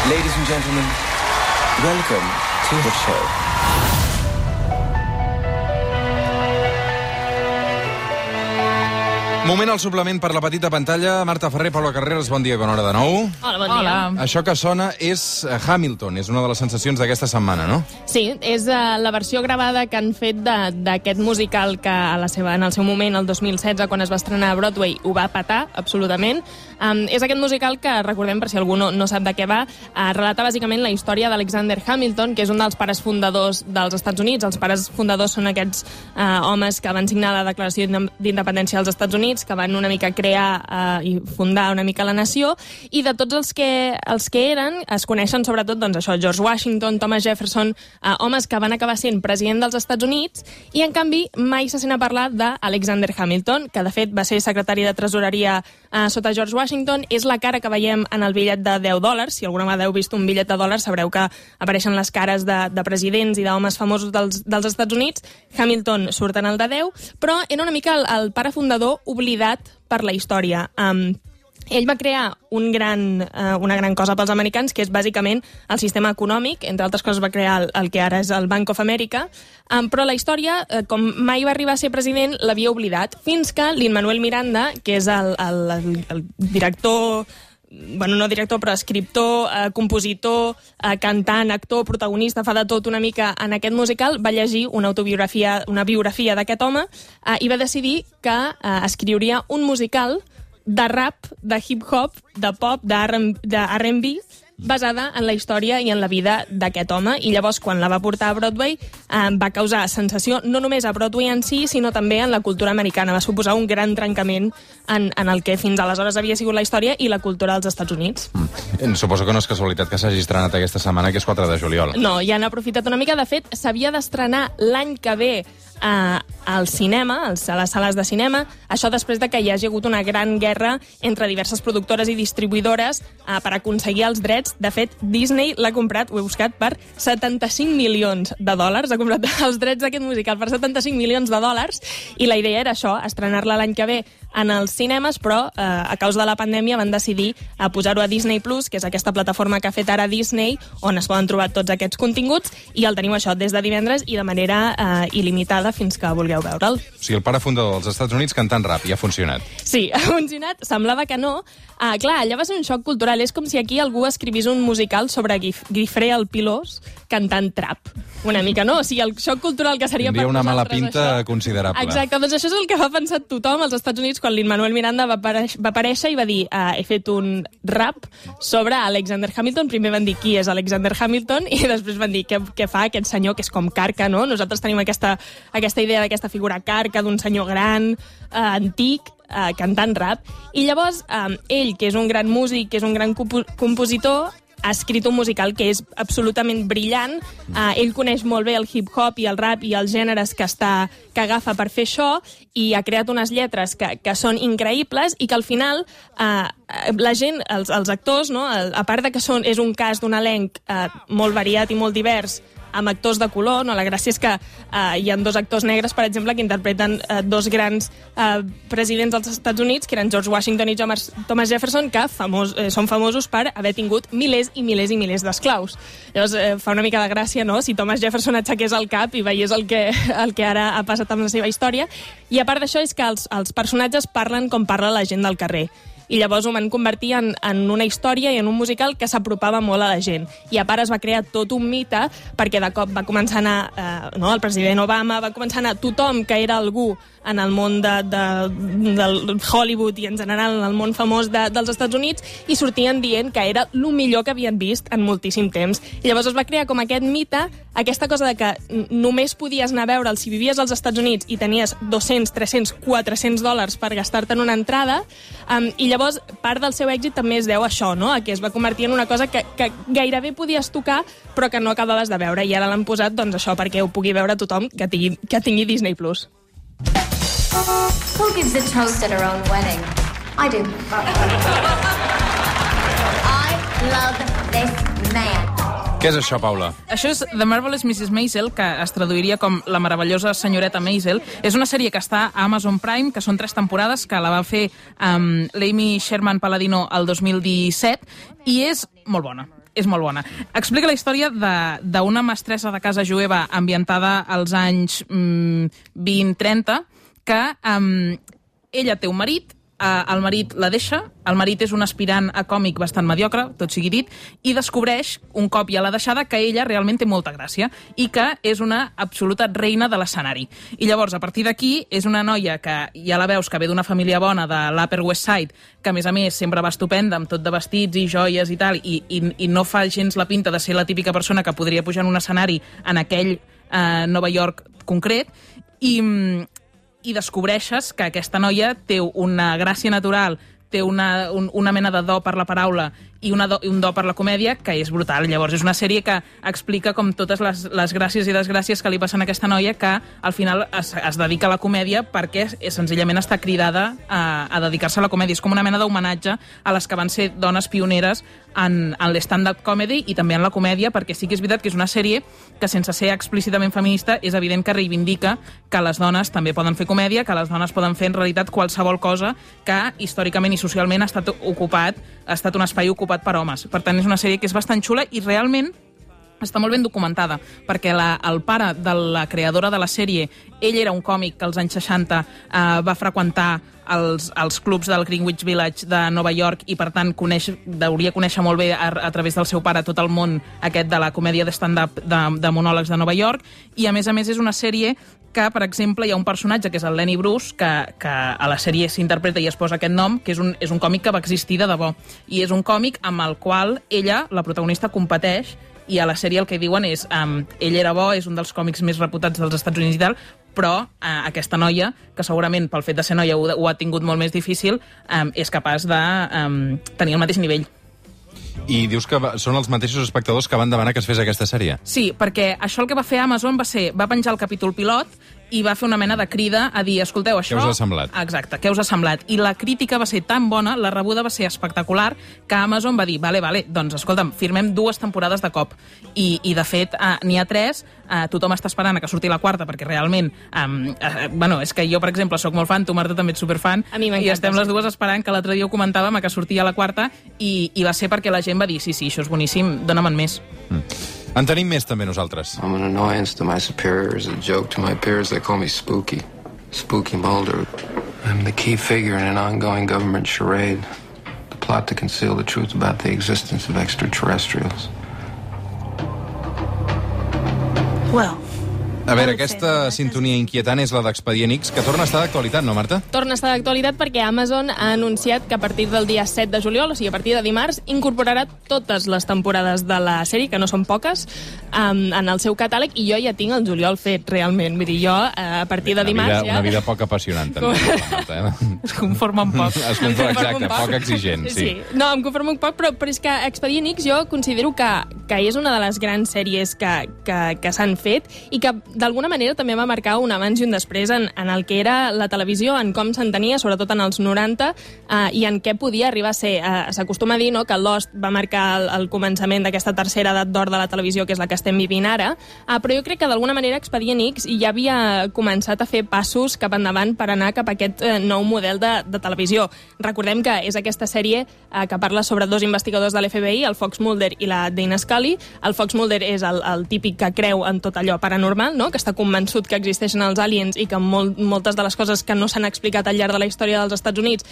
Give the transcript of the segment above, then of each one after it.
Ladies and gentlemen, welcome to the show. Moment al suplement per la petita pantalla. Marta Ferrer, Paula Carreras, bon dia, bona hora de nou. Hola, bon dia. Això que sona és Hamilton, és una de les sensacions d'aquesta setmana, no? Sí, és la versió gravada que han fet d'aquest musical que en el seu moment, el 2016, quan es va estrenar a Broadway, ho va petar, absolutament. És aquest musical que, recordem, per si algú no sap de què va, relata bàsicament la història d'Alexander Hamilton, que és un dels pares fundadors dels Estats Units. Els pares fundadors són aquests homes que van signar la Declaració d'Independència dels Estats Units, que van una mica crear i fundar una mica la nació, i de tots els que eren es coneixen sobretot doncs, això, George Washington, Thomas Jefferson, homes que van acabar sent president dels Estats Units, i en canvi mai se sent a parlar d'Alexander Hamilton, que de fet va ser secretari de tresoreria sota George Washington. És la cara que veiem en el bitllet de $10. Si alguna vegada heu vist un bitllet de $, sabreu que apareixen les cares de presidents i d'homes famosos dels Estats Units. Hamilton surt en el de 10, però era una mica el pare fundador oblidat per la història. Ell va crear una gran cosa pels americans, que és bàsicament el sistema econòmic. Entre altres coses va crear el que ara és el Bank of America, però la història, com mai va arribar a ser president, l'havia oblidat, fins que Lin-Manuel Miranda, que és el director... Bueno, no director, però escriptor, compositor, cantant, actor, protagonista, fa de tot una mica en aquest musical, va llegir una biografia d'aquest home i va decidir que escriuria un musical de rap, de hip-hop, de pop, de R&B, basada en la història i en la vida d'aquest home. I llavors, quan la va portar a Broadway, va causar sensació no només a Broadway en si, sinó també en la cultura americana. Va suposar un gran trencament en el que fins aleshores havia sigut la història i la cultura dels Estats Units. Suposo que no és casualitat que s'hagi estrenat aquesta setmana, que és 4 de juliol. No, ja han aprofitat una mica. De fet, s'havia d'estrenar l'any que ve al cinema, a les sales de cinema, això després de que hi hagi hagut una gran guerra entre diverses productores i distribuïdores per aconseguir els drets. De fet, Disney l'ha comprat, ho he buscat, per $75 milions. Ha comprat els drets d'aquest musical per $75 milions, i la idea era això, estrenar-la l'any que ve en els cinemes, però a causa de la pandèmia van decidir posar-ho a Disney Plus, que és aquesta plataforma que ha fet ara Disney, on es poden trobar tots aquests continguts, i el teniu això des de divendres i de manera il·limitada fins que vulgueu veure'l. O sigui, el pare fundador dels Estats Units cantant rap, i ha funcionat. Sí, ha funcionat, semblava que no. Clar, allà va ser un xoc cultural. És com si aquí algú escrivís un musical sobre Guifré el Pilós cantant trap. Una mica, no? O sigui, el xoc cultural que seria tindria per una mala nosaltres, pinta això... considerable. Exacte, doncs això és el que va pensar tothom als Estats Units quan Lin-Manuel Miranda va aparèixer i va dir he fet un rap sobre Alexander Hamilton. Primer van dir qui és Alexander Hamilton i després van dir què fa aquest senyor que és com carca, no? Nosaltres tenim aquesta idea d'aquesta figura carca, d'un senyor gran, antic, cantant rap. I llavors ell, que és un gran músic, que és un gran compositor, ha escrit un musical que és absolutament brillant. Ell coneix molt bé el hip-hop i el rap i els gèneres que agafa per fer això, i ha creat unes lletres que són increïbles i que al final la gent, els actors, no? A part de que és un cast d'un elenc molt variat i molt divers, amb actors de color, no? La gràcia és que hi ha 2 actors negres, per exemple, que interpreten 2 grans presidents dels Estats Units, que eren George Washington i Thomas Jefferson, que són famosos per haver tingut milers i milers i milers d'esclaus. Llavors, fa una mica de gràcia, no?, si Thomas Jefferson aixequés el cap i veiés el que ara ha passat amb la seva història. I a part d'això és que els personatges parlen com parla la gent del carrer. I llavors ho van convertir en una història i en un musical que s'apropava molt a la gent. I a part es va crear tot un mite, perquè de cop va començar a anar el president Obama, va començar a anar tothom que era algú en el món del Hollywood i en general en el món famós dels Estats Units, i sortien dient que era el millor que havien vist en moltíssim temps. I llavors es va crear com aquest mite, aquesta cosa de que només podies anar a veure'l si vivies als Estats Units i tenies $200, $300, $400 per gastar-te en una entrada, i llavors part del seu èxit també es deu a això, no?, a que es va convertir en una cosa que gairebé podies tocar però que no acabaves de veure, i ara l'han posat doncs això perquè ho pugui veure tothom que tingui Disney Plus. Who gives a toast at her own wedding? I do. I love this man. Què és això, Paula? Això és The Marvelous Mrs. Maisel, que es traduiria com La meravellosa senyoreta Maisel. És una sèrie que està a Amazon Prime, que són 3 temporades, que la va fer l'Amy Sherman Palladino el 2017, i és molt bona. és molt bona. Explica la història d'una mestressa de casa jueva ambientada als anys 20-30, que ella té un marit, el marit la deixa, el marit és un aspirant a còmic bastant mediocre, tot sigui dit, i descobreix, un cop ja l'ha deixada, que ella realment té molta gràcia i que és una absoluta reina de l'escenari. I llavors, a partir d'aquí, és una noia que ja la veus que ve d'una família bona de l'Upper West Side, que a més sempre va estupenda, amb tot de vestits i joies i tal, i no fa gens la pinta de ser la típica persona que podria pujar en un escenari en aquell Nova York concret, i descobreixes que aquesta noia té una gràcia natural, té una mena de do per la paraula i un do per la comèdia que és brutal. Llavors, és una sèrie que explica com totes les gràcies i desgràcies que li passen a aquesta noia, que al final es dedica a la comèdia perquè senzillament està cridada a dedicar-se a la comèdia. És com una mena d'homenatge a les que van ser dones pioneres en l'stand-up comedy i també en la comèdia, perquè sí que és veritat que és una sèrie que, sense ser explícitament feminista, és evident que reivindica que les dones també poden fer comèdia, que les dones poden fer en realitat qualsevol cosa que històricament i socialment ha estat un espai ocupat per homes. Per tant, és una sèrie que és bastant xula i realment està molt ben documentada, perquè el pare de la creadora de la sèrie, ell era un còmic que als anys 60 va freqüentar els clubs del Greenwich Village de Nova York i, per tant, hauria conèixer molt bé a través del seu pare tot el món aquest de la comèdia de stand-up de monòlegs de Nova York. I, a més, és una sèrie que, per exemple, hi ha un personatge que és el Lenny Bruce, que a la sèrie s'interpreta i es posa aquest nom, que és un còmic que va existir de debò. I és un còmic amb el qual ella, la protagonista, competeix, i a la sèrie el que diuen és ell era bo, és un dels còmics més reputats dels Estats Units i tal, però aquesta noia, que segurament pel fet de ser noia ho ha tingut molt més difícil, és capaç de tenir el mateix nivell. I dius que són els mateixos espectadors que van demanar que es fes aquesta sèrie? Sí, perquè això el que va fer Amazon va penjar el capítol pilot i va fer una mena de crida a dir, escolteu, això... Què us ha semblat? Exacte, què us ha semblat? I la crítica va ser tan bona, la rebuda va ser espectacular, que Amazon va dir, vale, doncs, escolta'm, firmem 2 temporades de cop. I de fet, n'hi ha 3, tothom està esperant a que surti la 4, perquè realment, és que jo, per exemple, sóc molt fan, tu, Marta, també ets superfan, i estem les dues esperant, que l'altre dia ho comentàvem, a que sortia la 4, i va ser perquè la gent va dir, sí, això és boníssim, dóna'm més. En tenim més, també, nosaltres. I'm an annoyance to my superiors, a joke to my peers. They call me Spooky. Spooky Mulder. I'm the key figure in an ongoing government charade. The plot to conceal the truth about the existence of extraterrestrials. Well... A veure, aquesta sintonia inquietant és la d'Expedient X, que torna a estar d'actualitat, no, Marta? Torna a estar d'actualitat perquè Amazon ha anunciat que a partir del dia 7 de juliol, o sigui, a partir de dimarts, incorporarà totes les temporades de la sèrie, que no són poques, en el seu catàleg, i jo ja tinc el juliol fet, realment. Vull dir, jo, a partir de dimarts... Una vida poc apassionant, també, Marta. Es conforma un poc. Exacte, poc exigent, sí. No, em conformo un poc, però és que Expedient X jo considero que és una de les grans sèries que s'han fet i que d'alguna manera també va marcar un abans i un després en el que era la televisió, en com s'entenia, sobretot en els 90, i en què podia arribar a ser. S'acostuma a dir, no?, que Lost va marcar el començament d'aquesta tercera edat d'or de la televisió, que és la que estem vivint ara, però jo crec que d'alguna manera Expedient X ja havia començat a fer passos cap endavant per anar cap a aquest nou model de televisió. Recordem que és aquesta sèrie que parla sobre 2 investigadors de l'FBI, el Fox Mulder i la Dana Scully. El Fox Mulder és el típic que creu en tot allò paranormal, no?, que està convençut que existeixen els aliens i que moltes de les coses que no s'han explicat al llarg de la història dels Estats Units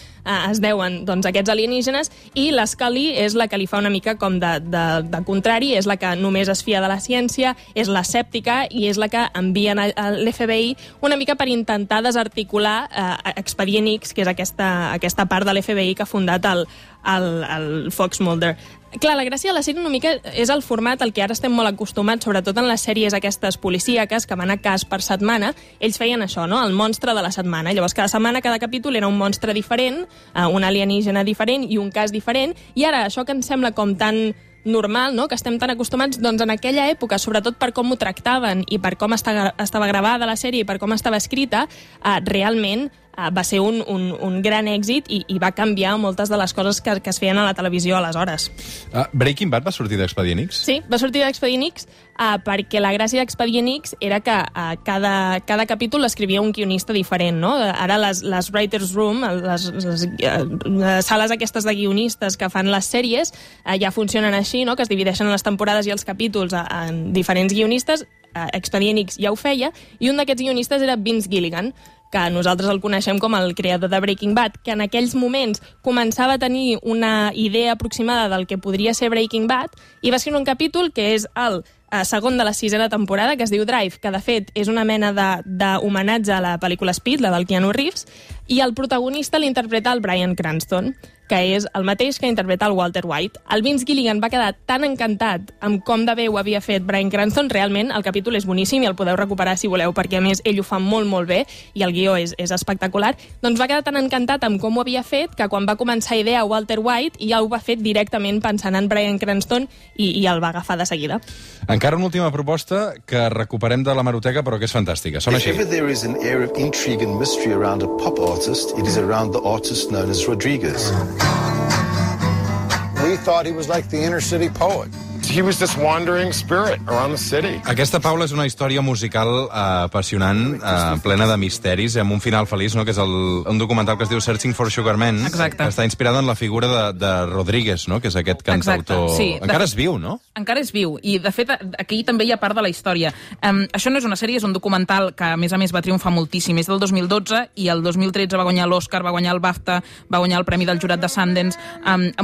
es deuen, doncs, a aquests alienígenes, i la Scully és la que li fa una mica com de contrari, és la que només es fia de la ciència, és l'escèptica i és la que envien a l'FBI una mica per intentar desarticular Expedient X, que és aquesta part de l'FBI que ha fundat el Fox Mulder. Clar, la gràcia de la sèrie una mica és el format al que ara estem molt acostumats, sobretot en les sèries aquestes policíaques que van a cas per setmana. Ells feien això, no?, el monstre de la setmana. Llavors, cada setmana, cada capítol era un monstre diferent, un alienígena diferent i un cas diferent, i ara això que ens sembla com tan normal, no?, que estem tan acostumats, doncs en aquella època, sobretot per com ho tractaven i per com estava gravada la sèrie i per com estava escrita, realment va ser un gran èxit i va canviar moltes de les coses que es feien a la televisió aleshores. Breaking Bad va sortir d'Expedient X? Sí, va sortir d'Expedient X perquè la gràcia d'Expedient X era que cada capítol l'escrivia un guionista diferent, no? Ara les Writers' Room, les sales aquestes de guionistes que fan les sèries, ja funcionen així, no? Que es divideixen les temporades i els capítols en diferents guionistes. Expedient X ja ho feia, i un d'aquests guionistes era Vince Gilligan, que nosaltres el coneixem com el creador de Breaking Bad, que en aquells moments començava a tenir una idea aproximada del que podria ser Breaking Bad, i va escriure un capítol que és el segon de la 6ª temporada, que es diu Drive, que de fet és una mena d'homenatge a la pel·lícula Speed, la del Keanu Reeves, i el protagonista l'interpreta el Bryan Cranston, que és el mateix que interpreta el Walter White. El Vince Gilligan va quedar tan encantat amb com de bé ho havia fet Bryan Cranston, realment el capítol és boníssim i el podeu recuperar si voleu, perquè a més ell ho fa molt, molt bé i el guió és espectacular. Doncs va quedar tan encantat amb com ho havia fet que quan va començar a idear Walter White ja ho va fer directament pensant en Bryan Cranston i el va agafar de seguida. Encara una última proposta que recuperem de l'hemeroteca, però que és fantàstica. Sona així. If ever there is an air of intrigue and mystery around a pop artist, it is around the artist known as Rodriguez. We thought he was like the inner city poet. He was this wandering spirit around the city. Aquesta, Paula, és una història musical apassionant, plena de misteris, amb un final feliç, no? Que és un documental que es diu Searching for Sugar Man. Exacte. Que està inspirada en la figura de Rodríguez, no? Que és aquest cantautor... Exacte, sí. Encara és viu, no? Encara és viu, i de fet aquí també hi ha part de la història. Això no és una sèrie, és un documental que a més va triomfar moltíssim. És del 2012 i el 2013 va guanyar l'Oscar, va guanyar el BAFTA, va guanyar el Premi del Jurat de Sundance,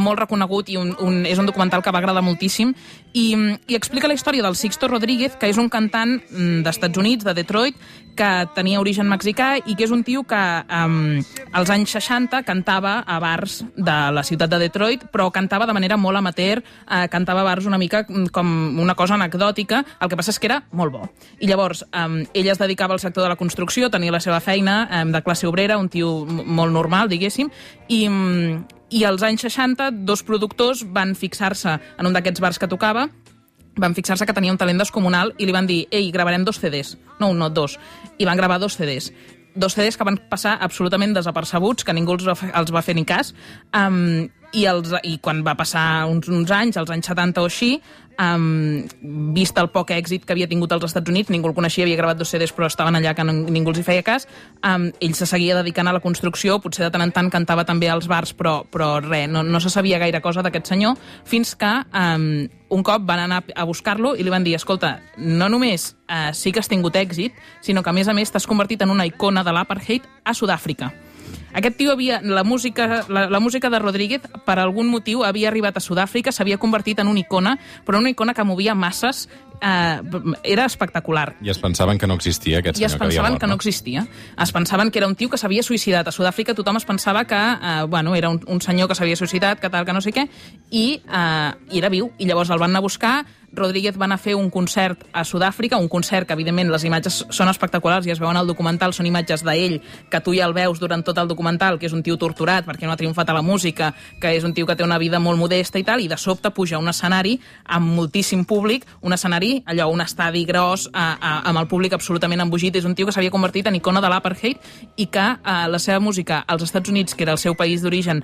molt reconegut, i és un documental que va agradar moltíssim, i explica la història del Sixto Rodríguez, que és un cantant d'Estats Units, de Detroit, que tenia origen mexicà i que és un tio que als anys 60 cantava a bars de la ciutat de Detroit, però cantava de manera molt amateur, cantava a bars una mica com una cosa anecdòtica, el que passa és que era molt bo. I llavors, ell es dedicava al sector de la construcció, tenia la seva feina de classe obrera, un tio molt normal, diguéssim, i als anys 60 dos productors van fixar-se en un d'aquests bars que tocava, van fixar-se que tenia un talent descomunal i li van dir, ei, gravarem 2 CDs. No, un, no, 2. I van gravar 2 CDs. 2 CDs que van passar absolutament desapercebuts, que ningú els va fer ni cas, i quan va passar uns anys, als anys 70 o així, vist el poc èxit que havia tingut als Estats Units, ningú el coneixia, havia gravat 2 CDs però estaven allà que ningú els hi feia cas, ell se seguia dedicant a la construcció, potser de tant en tant cantava també als bars, però res, no se sabia gaire cosa d'aquest senyor, fins que un cop van anar a buscar-lo i li van dir, escolta, no només sí que has tingut èxit, sinó que a més t'has convertit en una icona de l'apartheid a Sud-àfrica. Aquest tio la música de Rodríguez, per algun motiu, havia arribat a Sud-àfrica, s'havia convertit en una icona, però una icona que movia masses, era espectacular. I es pensaven que no existia aquest senyor que havia mort. I es pensaven que no existia. Es pensaven que era un tio que s'havia suïcidat. A Sud-àfrica tothom es pensava que era un senyor que s'havia suïcidat, que tal, que no sé què, i era viu. I llavors el van anar a buscar, Rodríguez va anar a fer un concert a Sud-àfrica, un concert que, evidentment, les imatges són espectaculars i es veuen al documental, són imatges d'ell, que tu ja el veus durant tot el documental, que és un tio torturat perquè no ha triomfat a la música, que és un tio que té una vida molt modesta i tal, i de sobte puja a un escenari amb moltíssim públic, un escenari, allò, un estadi gros, amb el públic absolutament embogit. És un tio que s'havia convertit en icona de l'apartheid i que la seva música als Estats Units, que era el seu país d'origen,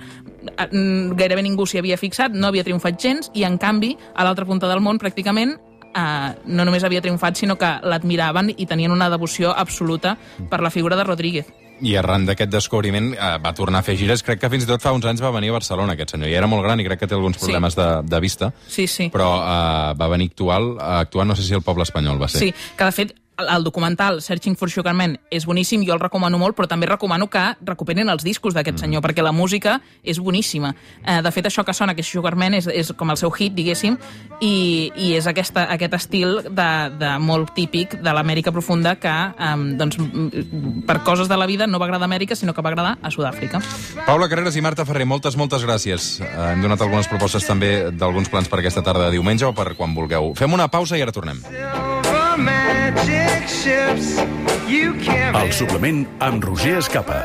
gairebé ningú s'hi havia fixat, no havia triomfat gens, i en canvi, a l'altra punta del món, pràcticament, no només havia triomfat, sinó que l'admiraven i tenien una devoció absoluta per la figura de Rodríguez. I arran d'aquest descobriment va tornar a fer gires. Crec que fins i tot fa uns anys va venir a Barcelona, aquest senyor. I era molt gran i crec que té alguns problemes de vista. Sí, sí. Però va venir a actuar, no sé si el poble espanyol va ser. Sí, que de fet el documental Searching for Sugar Man és boníssim, jo el recomano molt, però també recomano que recuperin els discos d'aquest senyor, perquè la música és boníssima. De fet, això que sona, que és Sugar Man, és com el seu hit, diguéssim, i és aquest estil de molt típic de l'Amèrica profunda que, doncs, per coses de la vida no va agradar a Amèrica, sinó que va agradar a Sud-àfrica. Paula Carreras i Marta Ferrer, moltes gràcies. Hem donat algunes propostes també d'alguns plans per aquesta tarda de diumenge o per quan vulgueu. Fem una pausa i ara tornem. El suplement amb Roger Escapa.